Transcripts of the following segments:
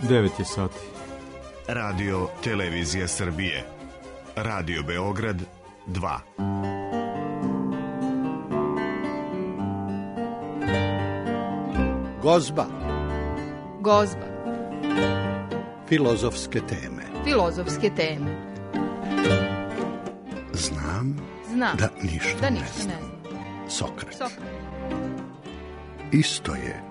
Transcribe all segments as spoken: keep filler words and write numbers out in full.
devet je sati. Radio Televizija Srbije. Radio Beograd dva. Gozba. Gozba. Filozofske teme. Filozofske teme. Znam, Znam da ništa, da ne, ništa znam. ne znam. Sokrat. Sokrat. Isto je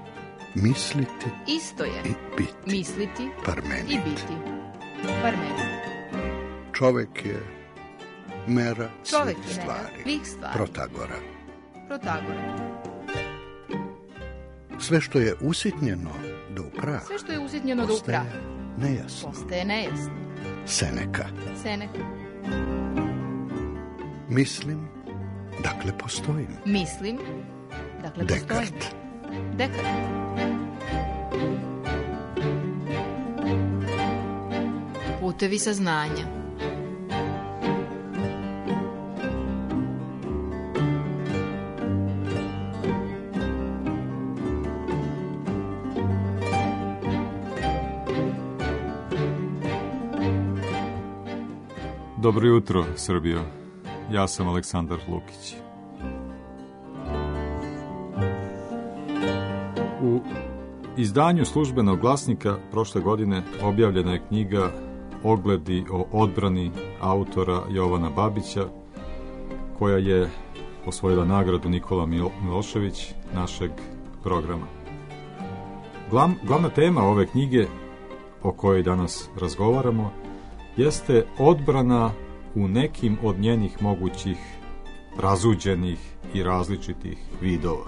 misliti Isto je i biti. misliti Parmenid. i biti. Parmenid. Čovek je mera Čovek svih je mera stvari. svih stvari. Protagora. Protagora. Sve što je usitnjeno do upraha Sve što je usitnjeno do upraha nejasno. postaje nejasno. Seneka. Seneka. Mislim, dakle postojim. Mislim, dakle postojim. Dekart. Dekart. Putevi saznanja. Dobro jutro, Srbijo. Ja sam Aleksandar Lukić. U izdanju Službenog glasnika prošle godine objavljena je knjiga Ogledi o odbrani autora Jovana Babića, koja je osvojila nagradu Nikola Milošević našeg programa. Glav, glavna tema ove knjige, o kojoj danas razgovaramo, jeste odbrana u nekim od njenih mogućih razuđenih i različitih vidova.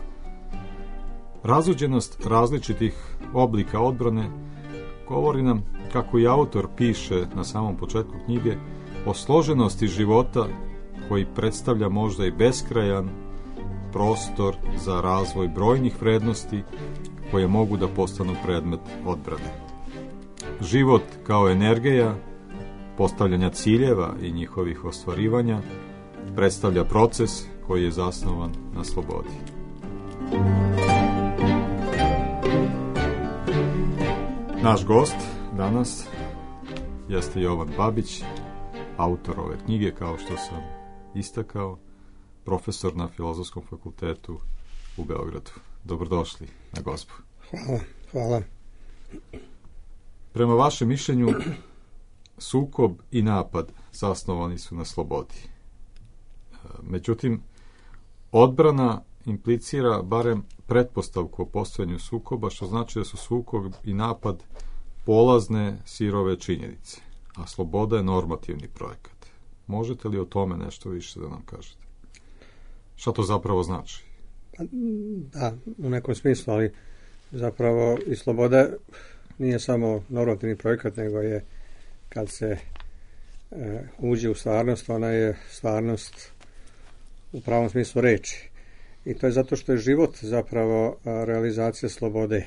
Razuđenost različitih oblika odbrane govori nam, kako i autor piše na samom početku knjige, o složenosti života koji predstavlja možda i beskrajan prostor za razvoj brojnih vrednosti koje mogu da postanu predmet odbrane. Život kao energija postavljanja ciljeva i njihovih ostvarivanja predstavlja proces koji je zasnovan na slobodi. Naš gost danas jeste Jovan Babić, autor ove knjige, kao što sam istakao, profesor na Filozofskom fakultetu u Beogradu. Dobrodošli na Gozbu. Hvala, hvala. Prema vašem mišljenju, sukob i napad zasnovani su na slobodi. Međutim, odbrana implicira barem pretpostavku o postojanju sukoba, što znači da su sukob i napad polazne sirove činjenice, a sloboda je normativni projekat. Možete li o tome nešto više da nam kažete? Šta to zapravo znači? Da, u nekom smislu, ali zapravo i sloboda nije samo normativni projekat, nego je, kad se e, uđe u stvarnost, ona je stvarnost u pravom smislu reči. I to je zato što je život zapravo a, realizacija slobode,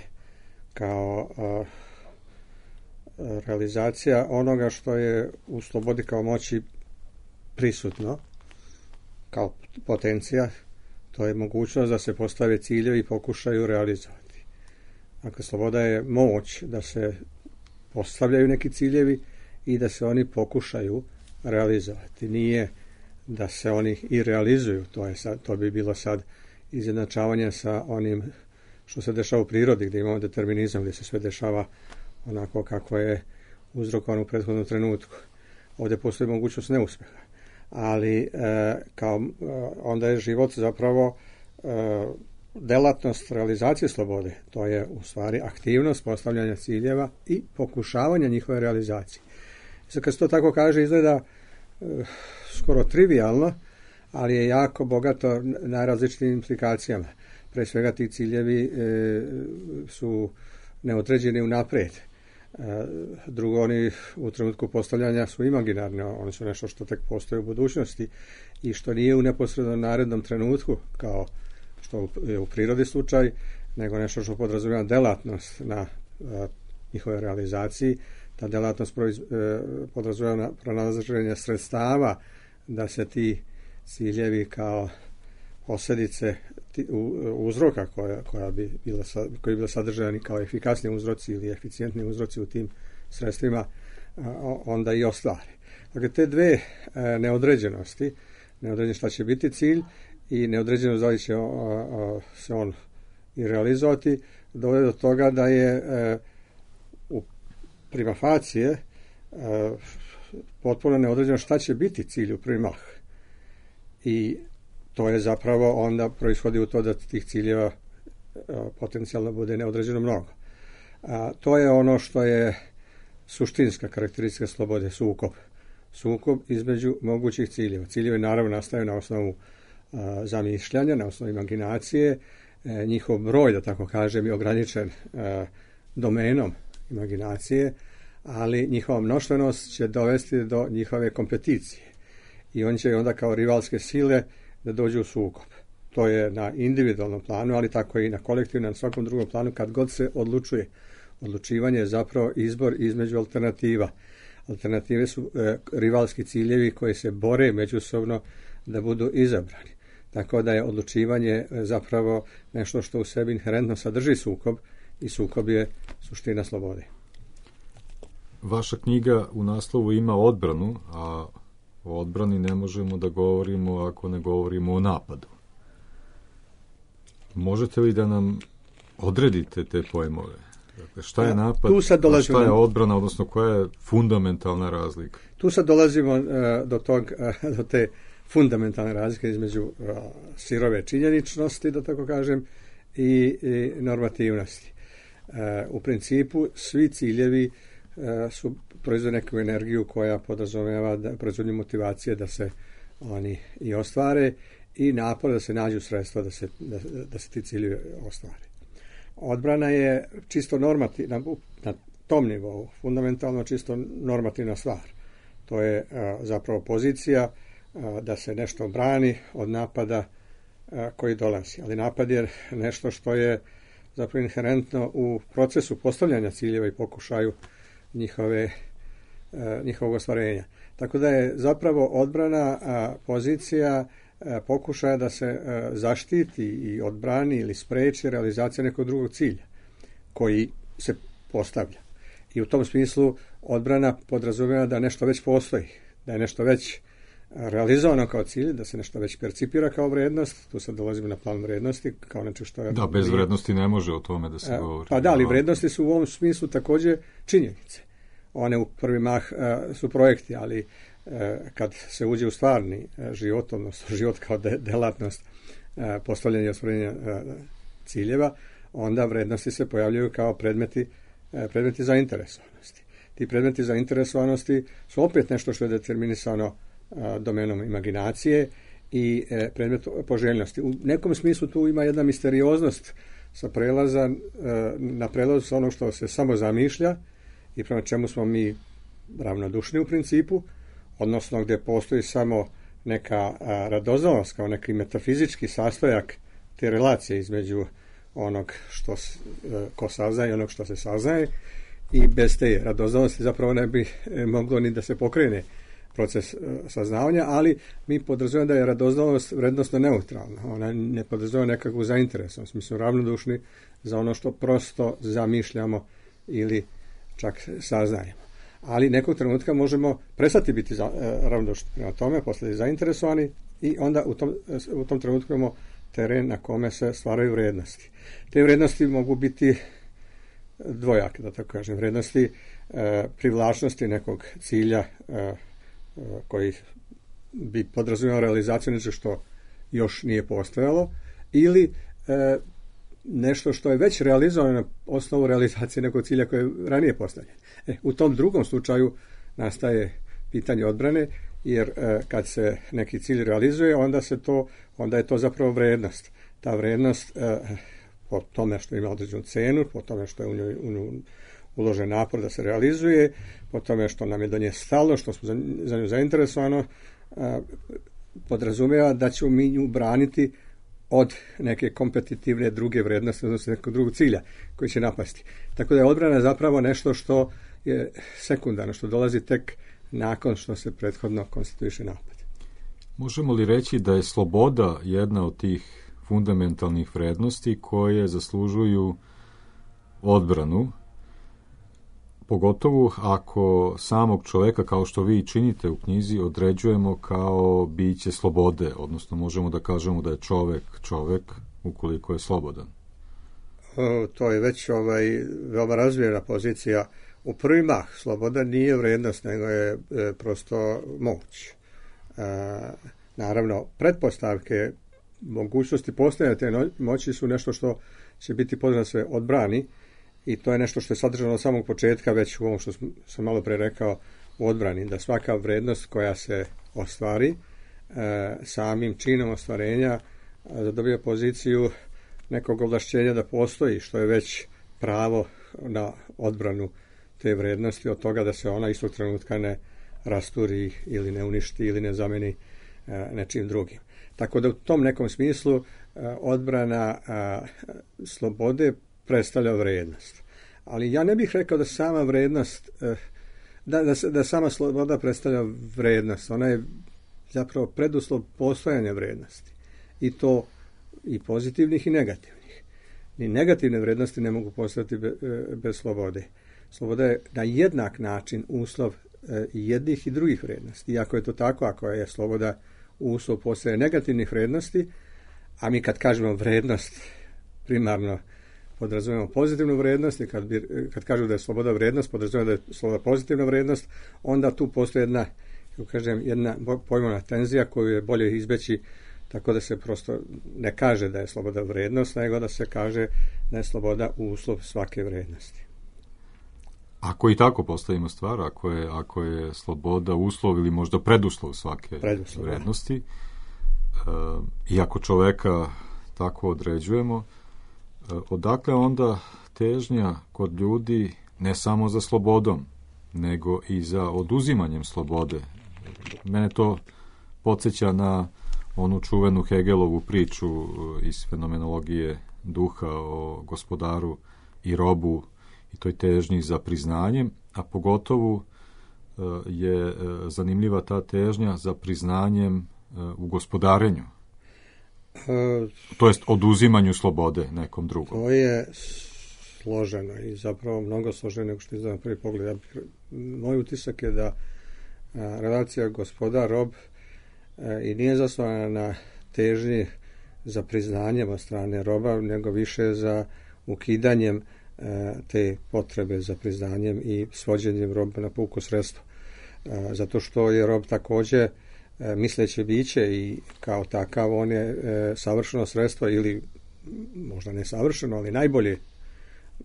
kao a, realizacija onoga što je u slobodi kao moći prisutno, kao potencija. To je mogućnost da se postave ciljevi i pokušaju realizovati. Dakle, sloboda je moć da se postavljaju neki ciljevi i da se oni pokušaju realizovati. Nije da se oni i realizuju, to je sad, to bi bilo sad izjednačavanje sa onim što se dešava u prirodi, gdje imamo determinizam, gdje se sve dešava onako kako je uzrokovano u prethodnom trenutku. Ovdje postoji mogućnost neuspeha. Ali e, kao e, onda je život zapravo e, delatnost realizacije slobode. To je u stvari aktivnost postavljanja ciljeva i pokušavanja njihove realizacije. Sad kad se to tako kaže, izgleda e, skoro trivijalno, ali je jako bogato najrazličitim implikacijama. Pre svega ti ciljevi e, su neodređeni unaprijed. E, drugo, oni u trenutku postavljanja su imaginarni, oni su nešto što tek postoji u budućnosti i što nije u neposrednom narednom trenutku, kao što je u prirodi slučaj, nego nešto što podrazumijeva delatnost na a, njihove realizaciji. Ta delatnost proiz, e, podrazumijeva pronalaženje sredstava da se ti ciljevi kao posljedice uzroka koja, koja bi bila, koji bi bila sadržani kao efikasni uzroci ili eficijentni uzroci u tim sredstvima, onda i ostvare. Dakle, te dve neodređenosti, neodređeno šta će biti cilj i neodređenost da li će se on i realizovati, dovede do toga da je u prima facie potpuno neodređeno šta će biti cilj u prvi mah. I to je zapravo onda proishodi u to da tih ciljeva potencijalno bude neodređeno mnogo. A, to je ono što je suštinska karakteristika slobode, sukob. Sukob između mogućih ciljeva. Ciljevi naravno nastaju na osnovu a, zamišljanja, na osnovu imaginacije. E, njihov broj, da tako kažem, je ograničen a, domenom imaginacije, ali njihova mnoštvenost će dovesti do njihove kompeticije. I on će onda kao rivalske sile da dođu u sukob. To je na individualnom planu, ali tako i na kolektivnom, na svakom drugom planu, kad god se odlučuje. Odlučivanje je zapravo izbor između alternativa. Alternative su e, rivalski ciljevi koji se bore međusobno da budu izabrani. Tako da je odlučivanje zapravo nešto što u sebi inherentno sadrži sukob i sukob je suština slobode. Vaša knjiga u naslovu ima odbranu, a o odbrani ne možemo da govorimo ako ne govorimo o napadu. Možete li da nam odredite te pojmove? Dakle, šta je napad, a šta je odbrana, odnosno koja je fundamentalna razlika? Tu sad dolazimo uh, do, tog, uh, do te fundamentalne razlike između uh, sirove činjeničnosti, da tako kažem, i, i normativnosti. Uh, u principu, svi ciljevi uh, su proizvode neku energiju koja podrazumijeva da proizvodnju motivacije da se oni i ostvare i napor da se nađu sredstva da se, da, da se ti ciljevi ostvare. Odbrana je čisto normativna, na tom nivou, fundamentalno čisto normativna stvar. To je a, zapravo pozicija a, da se nešto brani od napada a, koji dolazi. Ali napad je nešto što je zapravo inherentno u procesu postavljanja ciljeva i pokušaju njihove, a, njihovog ostvarenja. Tako da je zapravo odbrana a, pozicija pokušaja da se zaštiti i odbrani ili spreči realizacija nekog drugog cilja koji se postavlja. I u tom smislu odbrana podrazumijeva da nešto već postoji, da je nešto već realizovano kao cilj, da se nešto već percipira kao vrednost. Tu sad dolazimo na plan vrednosti kao nešto što je... Da, bez vrednosti ne može o tome da se govori. Pa da, ali vrednosti su u ovom smislu također činjenice. One u prvi mah su projekti, ali kad se uđe u stvarni život, odnosno život kao de, delatnost postavljanja i ostvarenja ciljeva, onda vrednosti se pojavljaju kao predmeti, predmeti zainteresovanosti. Ti predmeti zainteresovanosti su opet nešto što je determinisano domenom imaginacije i predmet poželjnosti. U nekom smislu tu ima jedna misterioznost sa prelaza na prelaz sa ono što se samo zamišlja i prema čemu smo mi ravnodušni u principu, odnosno gdje postoji samo neka radoznalost kao neki metafizički sastojak te relacije između onog što ko saznaje i onog što se saznaje i bez te radoznalosti zapravo ne bi moglo ni da se pokrene proces saznavanja, ali mi podrazumijemo da je radoznalost vrednostno neutralna. Ona ne podrazumijeva nekakvu zainteresovanost. Mi smo ravnodušni za ono što prosto zamišljamo ili čak saznajemo. Ali nekog trenutka možemo prestati biti za, e, ravnodušni prema tome, postati zainteresovani i onda u tom, u tom trenutku imamo teren na kome se stvaraju vrednosti. Te vrednosti mogu biti dvojake, da tako kažem, vrednosti e, privlačnosti nekog cilja e, e, koji bi podrazumijevao realizaciju nešto što još nije postojalo ili e, nešto što je već realizovano na osnovu realizacije nekog cilja koji je ranije postavljen. E, u tom drugom slučaju nastaje pitanje odbrane, jer e, kad se neki cilj realizuje, onda se to, onda je to zapravo vrednost. Ta vrednost e, po tome što ima određenu cenu, po tome što je u njoj, u njoj uložen napor da se realizuje, po tome što nam je do nje stalo, što smo za, za nju zainteresovano, e, podrazumijeva da ćemo mi nju braniti od neke kompetitivne druge vrednosti, odnosno nekog drugog cilja koji će napasti. Tako da je odbrana zapravo nešto što je sekundarno, što dolazi tek nakon što se prethodno konstituiše napad. Možemo li reći da je sloboda jedna od tih fundamentalnih vrednosti koje zaslužuju odbranu, pogotovo ako samog čoveka, kao što vi činite u knjizi, određujemo kao biće slobode, odnosno možemo da kažemo da je čovek čovek ukoliko je slobodan. O, to je već ovaj, veoma razvijena pozicija. U prvi mah sloboda nije vrednost, nego je e, prosto moć. E, naravno, pretpostavke mogućnosti postojanja te no, moći su nešto što će biti potrebno da se odbrani, i to je nešto što je sadržano od samog početka, već u ovom što sam malo pre rekao, u odbrani, da svaka vrednost koja se ostvari e, samim činom ostvarenja da dobije poziciju nekog ovlašćenja da postoji, što je već pravo na odbranu te vrednosti od toga da se ona istog trenutka ne rasturi ili ne uništi ili ne zameni e, nečim drugim. Tako da u tom nekom smislu e, odbrana e, slobode predstavlja vrednost. Ali ja ne bih rekao da sama vrednost, e, da, da, da sama sloboda predstavlja vrednost. Ona je zapravo preduslov postojanja vrednosti. I to i pozitivnih i negativnih. Ni negativne vrednosti ne mogu postojati be, bez slobode. Sloboda je na jednak način uslov e, jednih i drugih vrednosti. I ako je to tako, ako je sloboda uslov postoje negativnih vrednosti, a mi kad kažemo vrednost, primarno podrazumijemo pozitivnu vrednost, i kad, bi, kad kažu da je sloboda vrednost, podrazumijemo da je sloboda pozitivna vrednost, onda tu postoji jedna, kako kažem, jedna pojmovna tenzija koju je bolje izbeći tako da se prosto ne kaže da je sloboda vrednost, nego da se kaže da je sloboda uslov svake vrednosti. Ako i tako postavimo stvar, ako je, ako je sloboda uslov ili možda preduslov svake preduslov, vrednosti, e, i ako čoveka tako određujemo, e, odakle onda težnja kod ljudi ne samo za slobodom, nego i za oduzimanjem slobode? Mene to podsjeća na onu čuvenu Hegelovu priču iz fenomenologije duha o gospodaru i robu i toj težnji za priznanjem, a pogotovo je zanimljiva ta težnja za priznanjem u gospodarenju. E, to jest oduzimanju slobode nekom drugom. To je složeno i zapravo mnogo složeno nego što je na prvi pogled. Ja bih, moj utisak je da a, relacija gospodar-rob i nije zasnovana na težnji za priznanjem od strane roba, nego više za ukidanjem e, te potrebe za priznanjem i svođenjem roba na puko sredstvo. E, zato što je rob također e, misleće biće i kao takav on je e, savršeno sredstvo ili možda ne savršeno, ali najbolje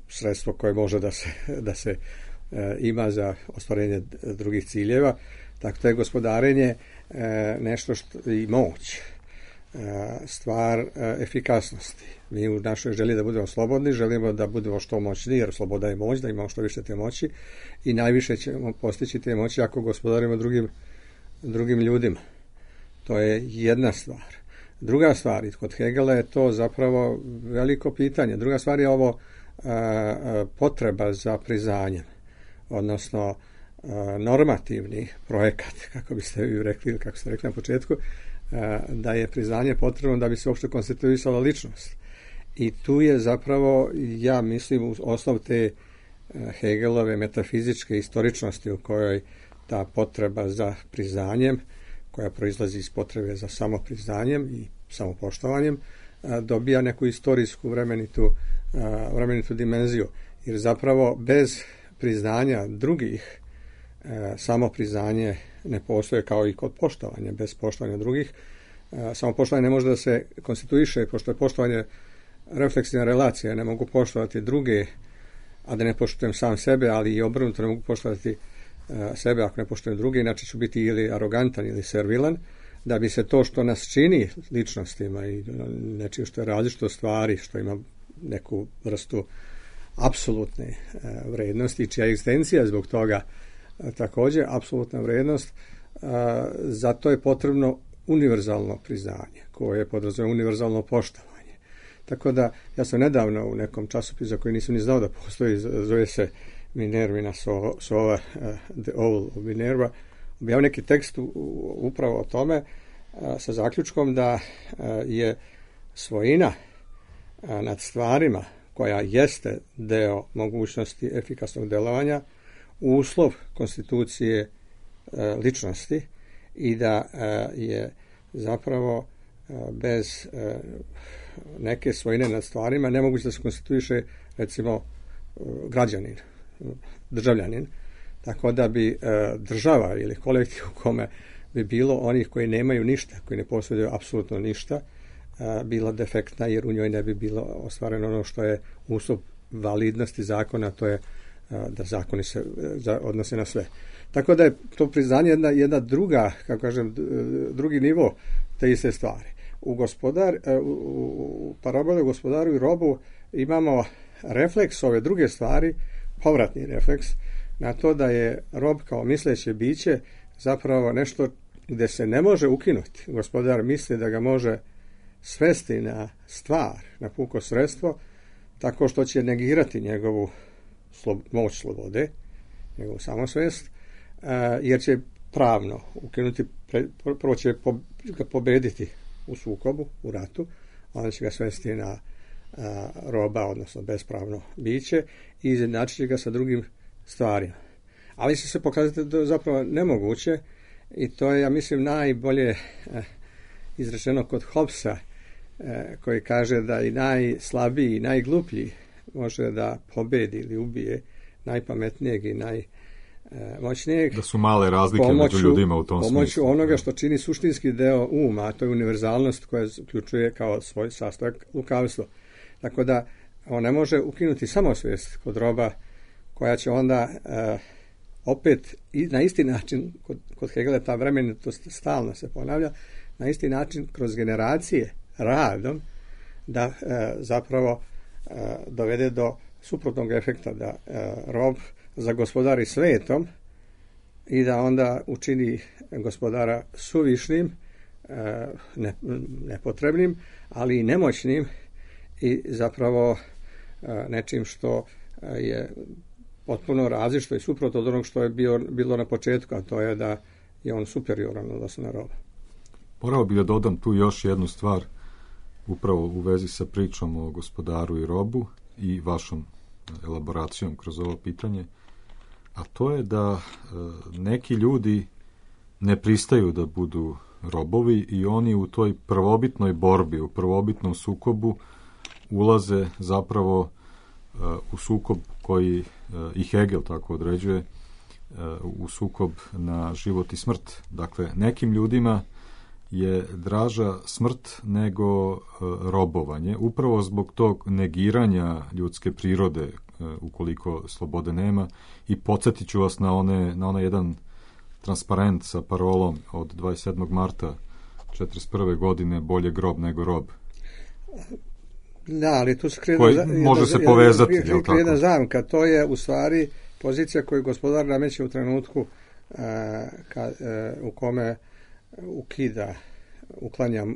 sredstvo koje može da se, da se e, ima za ostvarenje drugih ciljeva. Tako to je gospodarenje e, nešto što i moć, e, stvar e, efikasnosti. Mi u našoj želji da budemo slobodni, želimo da budemo što moćni, jer sloboda je moć, da imamo što više te moći i najviše ćemo postići te moći ako gospodarimo drugim, drugim ljudima. To je jedna stvar. Druga stvar, kod Hegela je to zapravo veliko pitanje. Druga stvar je ovo a, potreba za priznanjem, odnosno a, normativni projekat, kako biste vi rekli, kako ste rekli na početku, a, da je priznanje potrebno da bi se uopšte konstituisala ličnost. I tu je zapravo, ja mislim, osnov te Hegelove metafizičke istoričnosti u kojoj ta potreba za priznanjem, koja proizlazi iz potrebe za samopriznanjem i samopoštovanjem, dobija neku istorijsku vremenitu, vremenitu dimenziju. Jer zapravo bez priznanja drugih samopriznanje ne postoje, kao i kod poštovanja. Bez poštovanja drugih samopoštovanje ne može da se konstituiše, pošto je poštovanje refleksivna relacija. Ne mogu poštovati druge, a da ne poštujem sam sebe, ali i obrnuto ne mogu poštovati sebe ako ne poštujem druge, inače ću biti ili arogantan ili servilan, da bi se to što nas čini ličnostima i nečim što je različito stvari, što ima neku vrstu apsolutne vrednosti, čija egzistencija zbog toga također apsolutna vrednost, zato je potrebno univerzalno priznanje, koje podrazumijeva univerzalno poštovanje. Tako da, ja sam nedavno u nekom časopisu za koji nisam ni znao da postoji, zove se Minervina Sova, uh, The Owl of Minerva, objavio neki tekst u, u, upravo o tome, uh, sa zaključkom da uh, je svojina nad stvarima, koja jeste deo mogućnosti efikasnog delovanja, uslov konstitucije ličnosti i da je zapravo bez neke svojine nad stvarima nemoguće da se konstituiše, recimo, građanin, državljanin. Tako da bi država ili kolektiv u kome bi bilo onih koji nemaju ništa, koji ne posjeduju apsolutno ništa, bila defektna, jer u njoj ne bi bilo ostvareno ono što je uslov validnosti zakona, to je da zakoni se odnose na sve. Tako da je to priznanje jedna, jedna druga, kako kažem, drugi nivo te iste stvari. U, gospodar, u, u paraboli o gospodaru i robu imamo refleks ove druge stvari, povratni refleks, na to da je rob kao misleće biće zapravo nešto gde se ne može ukinuti. Gospodar misli da ga može svesti na stvar, na puko sredstvo, tako što će negirati njegovu slo, moć slobode, njegovu samosvest, jer će pravno ukinuti, prvo će ga pobediti u sukobu, u ratu, onda će ga svesti na a, roba, odnosno bespravno biće, i izjednačit će ga sa drugim stvarima. Ali će se pokazati da je zapravo nemoguće, i to je, ja mislim, najbolje eh, izrečeno kod Hobbesa, eh, koji kaže da i najslabiji i najgluplji može da pobedi ili ubije najpametnijeg i najmoćnijeg. Da su male razlike pomoću, među ljudima u tom pomoću smislu. Pomoću onoga što čini suštinski deo uma, a to je univerzalnost koja uključuje kao svoj sastojak lukavstvo. Tako da on ne može ukinuti samosvijest kod roba, koja će onda uh, opet i na isti način, kod, kod Hegela ta vremenitost stalno se ponavlja, na isti način kroz generacije radom da uh, zapravo uh, dovede do suprotnog efekta, da uh, rob zagospodari svetom i da onda učini gospodara suvišnim, uh, ne, nepotrebnim, ali i nemoćnim i zapravo uh, nečim što uh, je potpuno različito i suprotno od onog što je bio, bilo na početku, a to je da je on superioran odnosno na roba. Morao bih da dodam tu još jednu stvar, upravo u vezi sa pričom o gospodaru i robu i vašom elaboracijom kroz ovo pitanje, a to je da e, neki ljudi ne pristaju da budu robovi i oni u toj prvobitnoj borbi, u prvobitnom sukobu ulaze zapravo e, u sukob koji e, i Hegel tako određuje, e, u sukob na život i smrt. Dakle, nekim ljudima je draža smrt nego e, robovanje, upravo zbog tog negiranja ljudske prirode, e, ukoliko slobode nema. I podsjetit ću vas na, one, na onaj jedan transparent sa parolom od dvadeset sedmog marta četrdeset prve godine, bolje grob nego rob. Da, ali tu se krije koji jedna, može se jedna, povezati, jedna, je li jedna tako? zamka, to je u stvari pozicija koju gospodar nameće u trenutku uh, ka, uh, u kome ukida, uklanja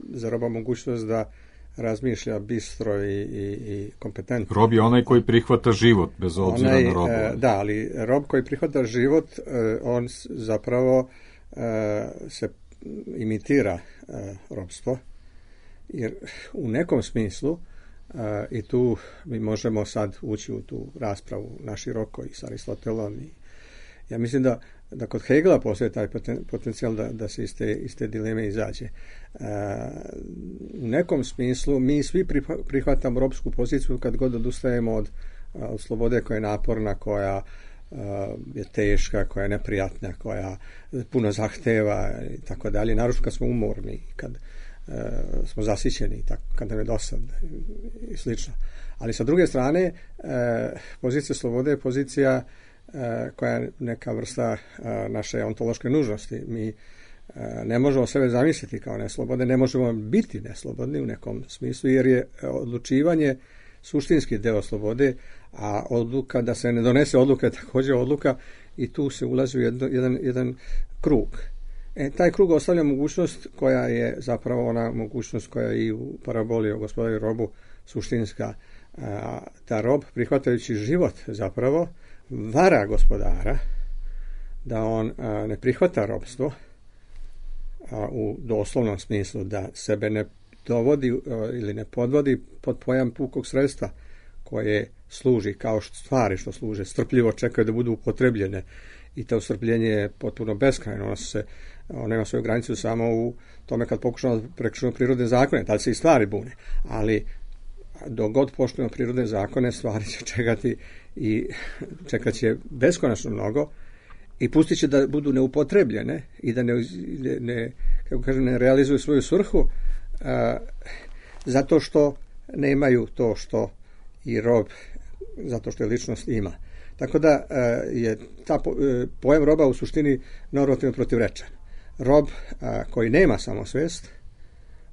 za roba mogućnost da razmišlja bistro i, i, i kompetentno. Rob je onaj koji prihvata život, bez obzira onaj, na roba. Da, ali rob koji prihvata život, on zapravo se imitira robstvo, jer u nekom smislu, i tu mi možemo sad ući u tu raspravu naširoko i s Aristotelom, i ja mislim da da kod Hegela postoji taj potencijal da, da se iz te, iz te dileme izađe. E, u nekom smislu mi svi prihvatamo robsku poziciju kad god odustajemo od, od slobode koja je naporna, koja uh, je teška, koja je neprijatna, koja puno zahteva i tako dalje. Naročito kad smo umorni, kad uh, smo zasićeni, i tako, kad nam je dosadno i slično. Ali sa druge strane, uh, pozicija slobode je pozicija koja je neka vrsta naše ontološke nužnosti. Mi ne možemo sebe zamisliti kao neslobodne, ne možemo biti neslobodni u nekom smislu, jer je odlučivanje suštinski deo slobode, a odluka, da se ne donese odluka je također odluka, i tu se ulazi u jedno, jedan, jedan krug. E, taj krug ostavlja mogućnost koja je zapravo ona mogućnost koja je i u paraboli o gospodaru i robu suštinska, da rob, prihvatajući život zapravo, vara gospodara, da on a, ne prihvata robstvo, a, u doslovnom smislu, da sebe ne dovodi ili ne podvodi pod pojam pukog sredstva koje služi kao što stvari što služe, strpljivo čekaju da budu upotrebljene i to strpljenje je potpuno beskrajno. Ono se ono ima svoju granicu samo u tome kad pokušamo prekršiti prirodne zakone, da li se i stvari bune, ali dok god poštujemo prirodne zakone, stvari će čekati i čekat će beskonačno mnogo i pustit će da budu neupotrebljene i da ne, ne, kako kažem, ne realizuju svoju svrhu a, zato što nemaju to što i rob, zato što je ličnost ima. Tako da a, je ta po, a, pojam roba u suštini normativno protivrečan. Rob a, koji nema samosvest,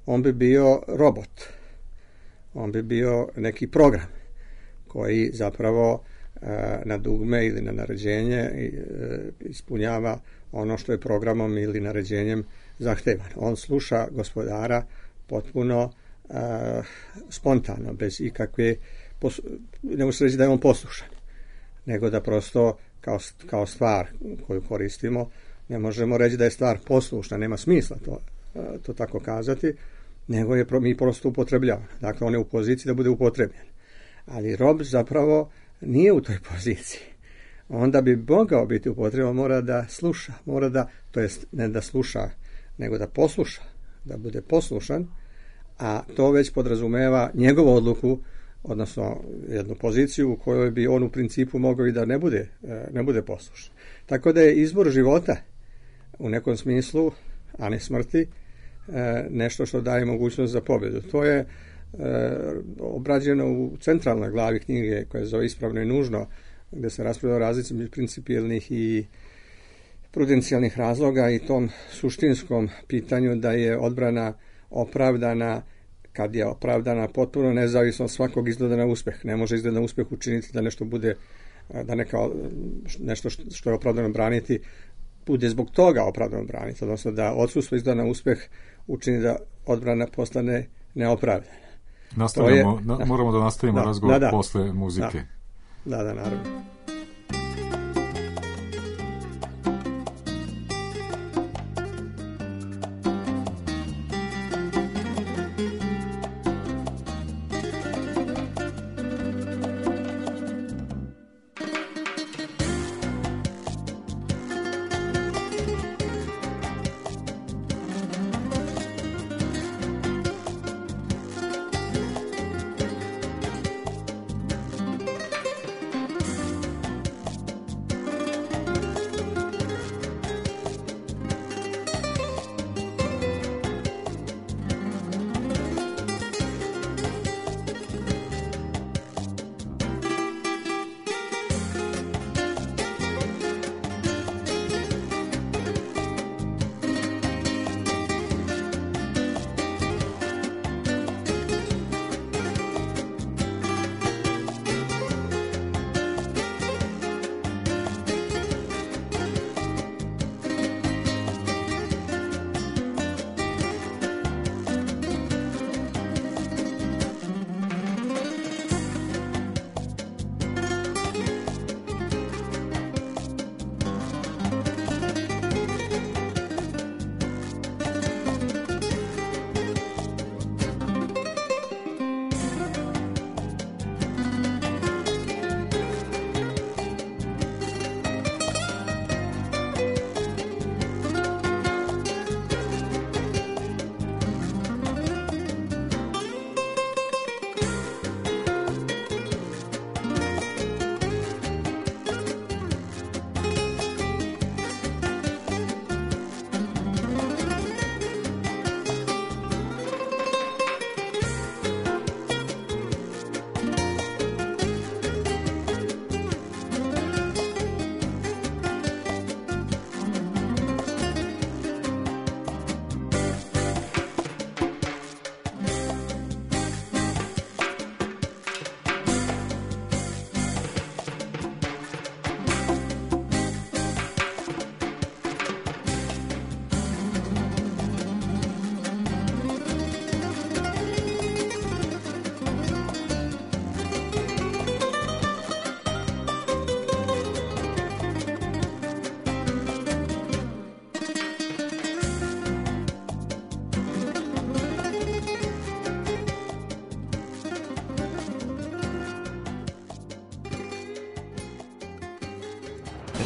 on bi bio robot. On bi bio neki program koji zapravo a, na dugme ili na naređenje a, ispunjava ono što je programom ili naređenjem zahtevano. On sluša gospodara potpuno a, spontano, bez ikakve, pos, ne može se reći da je on poslušan, nego da prosto kao, kao stvar koju koristimo, ne možemo reći da je stvar poslušna, nema smisla to, a, to tako kazati, nego je mi prosto upotrebljavamo. Dakle, on je u poziciji da bude upotrebljen. Ali rob zapravo nije u toj poziciji. Onda bi mogao biti upotrebljen, mora da sluša, mora da, to jest ne da sluša, nego da posluša, da bude poslušan, a to već podrazumeva njegovu odluku, odnosno jednu poziciju u kojoj bi on u principu mogao i da ne bude, ne bude poslušan. Tako da je izbor života u nekom smislu, a ne smrti, nešto što daje mogućnost za pobjedu. To je e, obrađeno u centralnoj glavi knjige koja je zove Ispravno i nužno, gdje se raspravlja o razlici među principijelnih i prudencijalnih razloga i tom suštinskom pitanju da je odbrana opravdana kad je opravdana potpuno nezavisno od svakog izgleda na uspeh. Ne može izgled na uspeh učiniti da nešto bude, da neka, nešto što je opravdano braniti bude zbog toga opravdano braniti, odnosno da odsustvo izgleda na uspeh učini da odbrana postane neopravdana. Nastavljamo, je, na, da, moramo da nastavimo da, razgovor da, da, posle muzike. Da, da, da, naravno.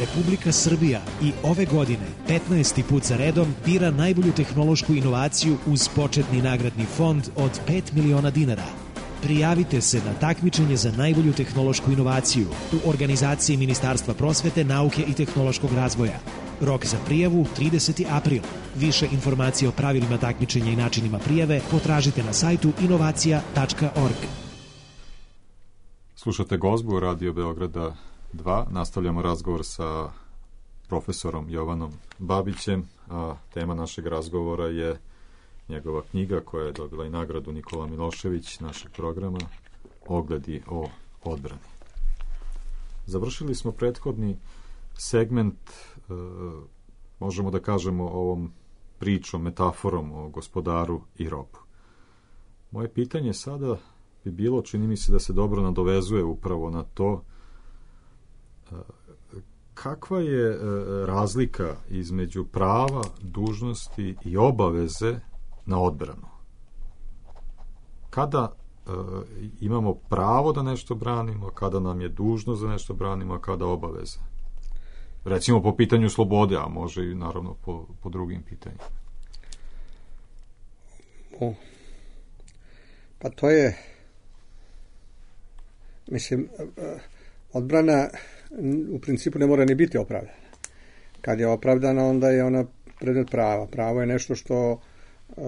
Republika Srbija i ove godine petnaesti put za redom bira najbolju tehnološku inovaciju uz početni nagradni fond od pet miliona dinara. Prijavite se na takmičenje za najbolju tehnološku inovaciju u organizaciji Ministarstva prosvete, nauke i tehnološkog razvoja. Rok za prijavu trideseti april. Više informacije o pravilima takmičenja i načinima prijave potražite na sajtu inovacija tačka org. Slušate Gozbu Radio Beograda dva. Nastavljamo razgovor sa profesorom Jovanom Babićem, a tema našeg razgovora je njegova knjiga koja je dobila i nagradu Nikola Milošević našeg programa, Ogledi o odbrani. Završili smo prethodni segment, e, možemo da kažemo ovom pričom, metaforom o gospodaru i robu. Moje pitanje sada bi bilo, čini mi se da se dobro nadovezuje upravo na to, e, kakva je e, razlika između prava, dužnosti i obaveze na odbranu. Kada e, imamo pravo da nešto branimo, kada nam je dužnost da nešto branimo, a kada obaveza. Recimo po pitanju slobode, a može i naravno po, po drugim pitanjima. O, pa to je, mislim, odbrana u principu ne mora ni biti opravdana. Kad je opravdana, onda je ona predmet prava. Pravo je nešto što Uh,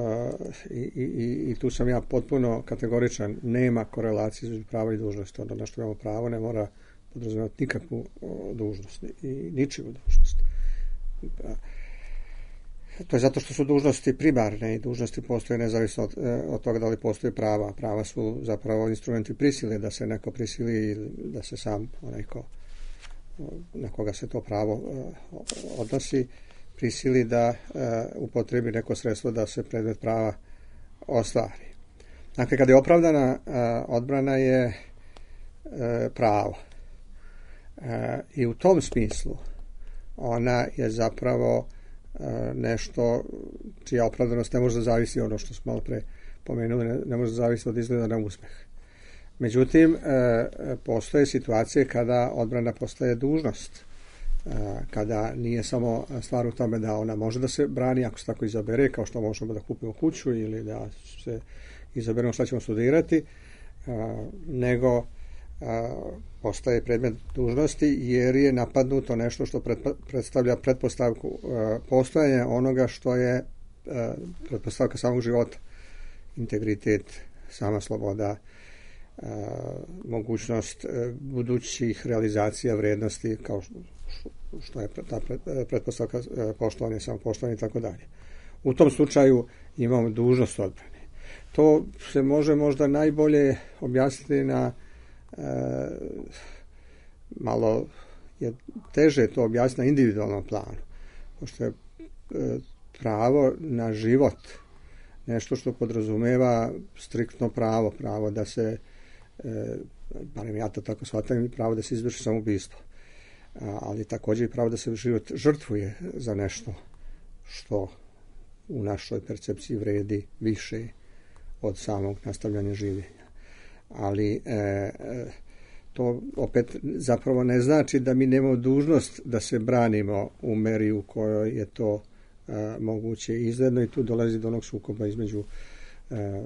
i, i, i tu sam ja potpuno kategoričan, nema korelacije između prava i dužnosti. Onda na što imamo pravo ne mora podrazumijevati nikakvu o, dužnost i ničiju dužnost. To je zato što su dužnosti primarne i dužnosti postoje nezavisno od, od toga da li postoje prava. Prava su zapravo instrumenti prisile, da se neko prisili ili da se sam onaj ko, na koga se to pravo uh, odnosi prisili da uh, upotrebi neko sredstvo da se predmet prava ostvari. Dakle, kada je opravdana uh, odbrana je uh, pravo. Uh, I u tom smislu ona je zapravo uh, nešto čija opravdanost ne može da zavisi ono što smo malo pre pomenuli, ne, ne može da zavisi od izgleda na uspeh. Međutim, uh, postoje situacije kada odbrana postaje dužnost, kada nije samo stvar u tome da ona može da se brani ako se tako izabere, kao što možemo da kupimo kuću ili da se izaberemo šta ćemo studirati, nego postaje predmet dužnosti jer je napadnuto nešto što predstavlja pretpostavku postojanja onoga što je pretpostavka samog života, integritet, sama sloboda, mogućnost budućih realizacija vrednosti kao što što je ta pretpostavka poštovanja, samopoštovanja i tako dalje. U tom slučaju imamo dužnost odbrane. To se može možda najbolje objasniti na e, malo je teže to objasniti na individualnom planu. Pošto je e, pravo na život nešto što podrazumeva striktno pravo, pravo da se, e, barem ja to tako shvatam, pravo da se izvrši samoubistvo. Ali također i pravo da se život žrtvuje za nešto što u našoj percepciji vredi više od samog nastavljanja življenja. Ali e, to opet zapravo ne znači da mi nemamo dužnost da se branimo u meri u kojoj je to e, moguće izgledno i tu dolazi do onog sukoba između e,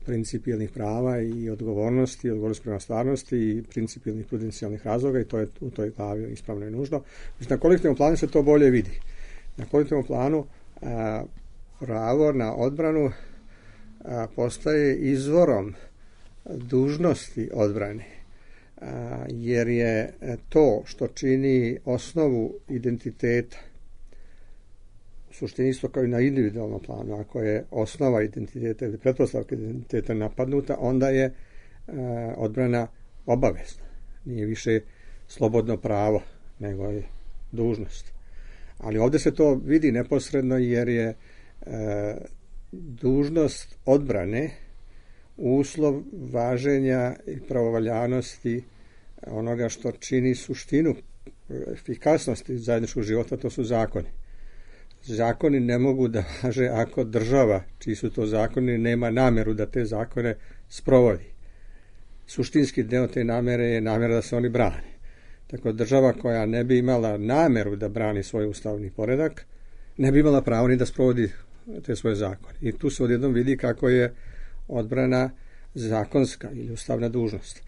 principijelnih prava i odgovornosti, odgovornosti prema stvarnosti i principijelnih prudencijalnih razloga i to je u toj glavi ispravno i nužno. Znači, na kolektivnom planu se to bolje vidi. Na kolektivnom planu a, pravo na odbranu a, postaje izvorom dužnosti odbrane, a, jer je to što čini osnovu identiteta u suštini isto kao i na individualnom planu. Ako je osnova identiteta ili pretpostavka identiteta napadnuta, onda je e, odbrana obavezna. Nije više slobodno pravo, nego je dužnost. Ali ovdje se to vidi neposredno jer je e, dužnost odbrane uslov važenja i pravovaljanosti onoga što čini suštinu efikasnosti zajedničkog života, to su zakoni. Zakoni ne mogu da važe ako država, čiji su to zakoni, nema nameru da te zakone sprovodi. Suštinski deo te namere je namera da se oni brane. Tako država koja ne bi imala nameru da brani svoj ustavni poredak, ne bi imala pravo ni da sprovodi te svoje zakone. I tu se odjednom vidi kako je odbrana zakonska ili ustavna dužnost.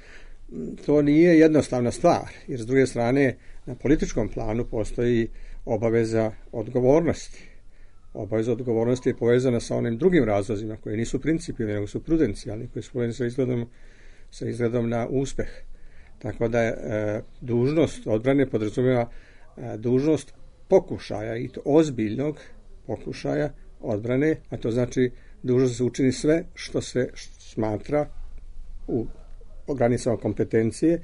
To nije jednostavna stvar, jer s druge strane na političkom planu postoji obaveza odgovornosti. Obaveza odgovornosti je povezana sa onim drugim razlozima koji nisu principijelni, nego su prudencijalni, koji su povezani sa izgledom, sa izgledom na uspeh. Tako da je e, dužnost odbrane podrazumijeva e, dužnost pokušaja, i to ozbiljnog pokušaja odbrane, a to znači dužnost da se učini sve što se smatra u granicama kompetencije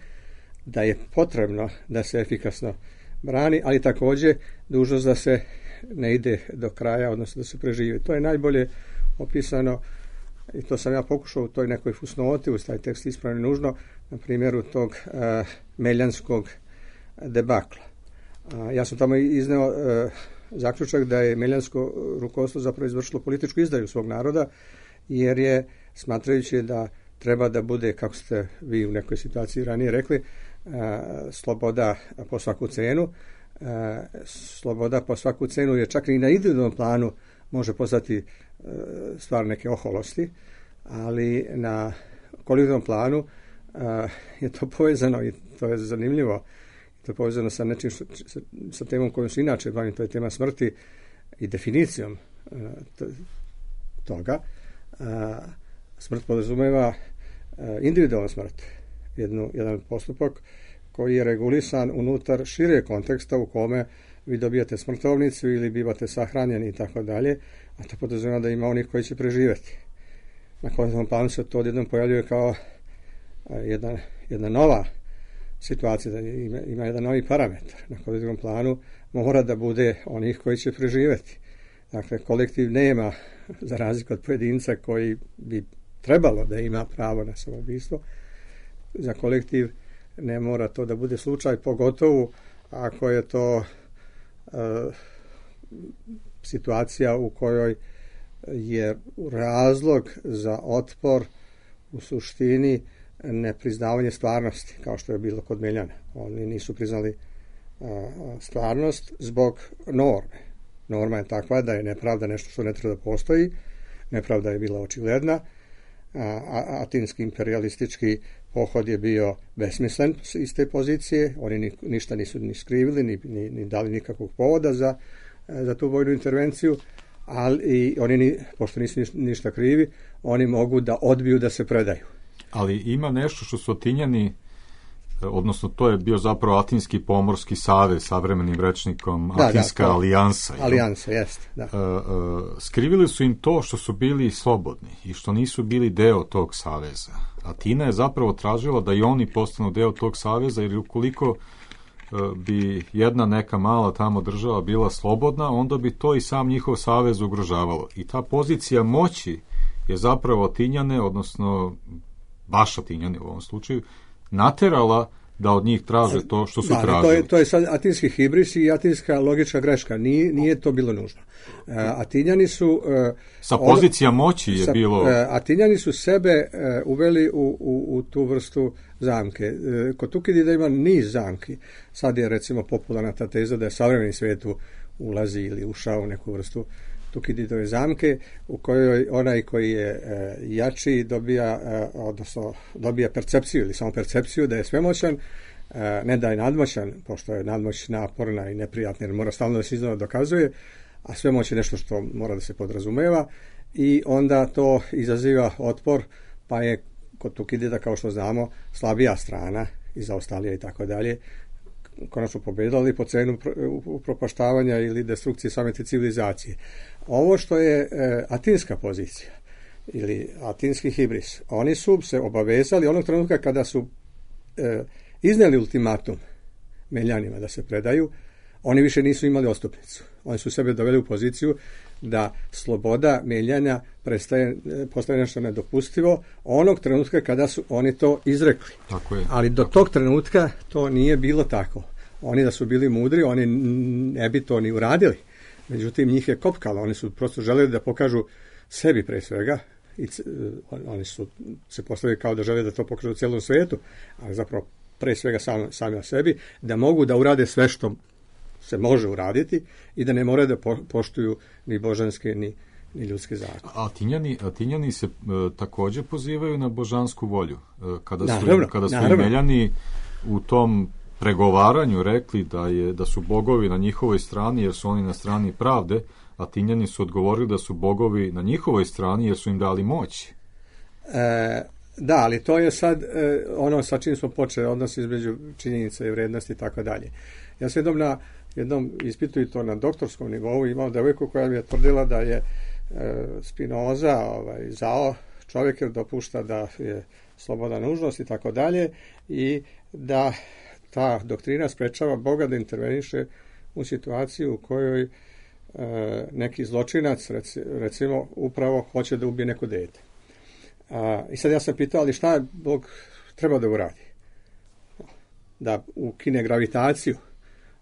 da je potrebno da se efikasno brani, ali također dužnost da se ne ide do kraja, odnosno da se preživi. To je najbolje opisano, i to sam ja pokušao u toj nekoj fusnoti, uz taj tekst ispravno nužno, na primjeru tog uh, meljanskog debakla. Uh, ja sam tamo izneo uh, zaključak da je meljansko rukovodstvo zapravo izvršilo političku izdaju svog naroda, jer je, smatrajući da treba da bude, kako ste vi u nekoj situaciji ranije rekli, uh, sloboda po svaku cenu, uh, sloboda po svaku cenu je čak i na individualnom planu može postati uh, stvar neke oholosti, ali na kolektivnom planu uh, je to povezano, i to je zanimljivo, to je povezano sa nečim što, sa, sa temom kojom se inače bavim, to je tema smrti i definicijom uh, t, toga. Uh, smrt podrazumeva uh, individualnu smrt, jednu, jedan postupak koji je regulisan unutar šire konteksta u kome vi dobijate smrtovnicu ili bivate sahranjeni i tako dalje, a to podrazumeva da ima onih koji će preživjeti. Na kolektivnom planu se to odjednom pojavljuje kao uh, jedna, jedna nova situacija, da ima, ima jedan novi parametar. Na kolektivnom planu mora da bude onih koji će preživjeti. Dakle, kolektiv nema, za razliku od pojedinca koji bi trebalo da ima pravo na samoubistvo, za kolektiv ne mora to da bude slučaj, pogotovo ako je to uh, situacija u kojoj je razlog za otpor u suštini nepriznavanje stvarnosti, kao što je bilo kod Meljana. Oni nisu priznali uh, stvarnost zbog norme. Norma je takva da je nepravda nešto što ne treba da postoji. Nepravda je bila očigledna. A, atinski imperialistički pohod je bio besmislen iz te pozicije. Oni ni, ništa nisu ni skrivili, ni, ni, ni dali nikakvog povoda za, za tu vojnu intervenciju, ali i oni, ni, pošto nisu ništa krivi, oni mogu da odbiju da se predaju. Ali ima nešto što su Atinjani, odnosno to je bio zapravo Atinski pomorski savez, savremenim rečnikom, da, Atinska da, to, alijansa. Alijansa, jeste, da. Uh, uh, skrivili su im to što su bili slobodni i što nisu bili deo tog saveza. Atina je zapravo tražila da i oni postanu deo tog saveza, jer ukoliko uh, bi jedna neka mala tamo država bila slobodna, onda bi to i sam njihov savez ugrožavalo. I ta pozicija moći je zapravo Atinjane, odnosno baš Atinjane u ovom slučaju, naterala da od njih traže to što su da, tražili. To je, to je sad atinski hibris i atinska logička greška. Nije, nije to bilo nužno. Uh, Atinjani su... Uh, sa pozicija on, moći je sa, bilo... Uh, Atinjani su sebe uh, uveli u, u, u tu vrstu zamke. Uh, kod Tukidida ima niz zamki. Sad je recimo popularna ta teza da je savremeni svijet ulazi ili ušao u neku vrstu Tukididove zamke, u kojoj onaj koji je e, jači dobija, e, odnosno dobija percepciju ili samo percepciju da je svemoćan, e, ne da je nadmoćan, pošto je nadmoć naporna i neprijatna jer mora stalno da se iznova dokazuje, a svemoć je nešto što mora da se podrazumeva, i onda to izaziva otpor, pa je kod Tukidida, kao što znamo, slabija strana i zaostalija i tako dalje, konačno pobedali po cenu upropaštavanja ili destrukcije same te civilizacije. Ovo što je e, atinska pozicija ili atinski hibris, oni su se obavezali onog trenutka kada su e, iznijeli ultimatum Meljanima da se predaju, oni više nisu imali odstupnicu. Oni su sebe doveli u poziciju da sloboda Meljanja prestaje, postaje nešto nedopustivo onog trenutka kada su oni to izrekli. Tako je. Ali do tog trenutka to nije bilo tako. Oni da su bili mudri, oni ne bi to ni uradili. Međutim, njih je kopkalo. Oni su prosto želeli da pokažu sebi pre svega. I oni su se postavili kao da žele da to pokažu u cijelom svijetu, ali zapravo pre svega sami, sami o sebi, da mogu da urade sve što se može uraditi i da ne moraju da po, poštuju ni božanske ni, ni ljudske zakone. A Atinjani, Atinjani se e, također pozivaju na božansku volju. E, kada su, naravno, kada su naravno. Imeljani u tom pregovaranju rekli da, je, da su bogovi na njihovoj strani jer su oni na strani pravde, Atinjani su odgovorili da su bogovi na njihovoj strani jer su im dali moć. E, da, ali to je sad e, ono sa čim smo počeli, odnos između činjenica i vrednosti i tako dalje. Ja sam jednom na jednom ispitu i to na doktorskom nivou imao devojku koja mi je tvrdila da je e, Spinoza ovaj, zao čovjek jer dopušta da je sloboda nužnost i tako dalje i da ta doktrina sprečava Boga da interveniše u situaciju u kojoj e, neki zločinac reci, recimo upravo hoće da ubije neko dete. A, I sad ja sam pitao, ali šta je Bog treba da uradi? Da ukine gravitaciju,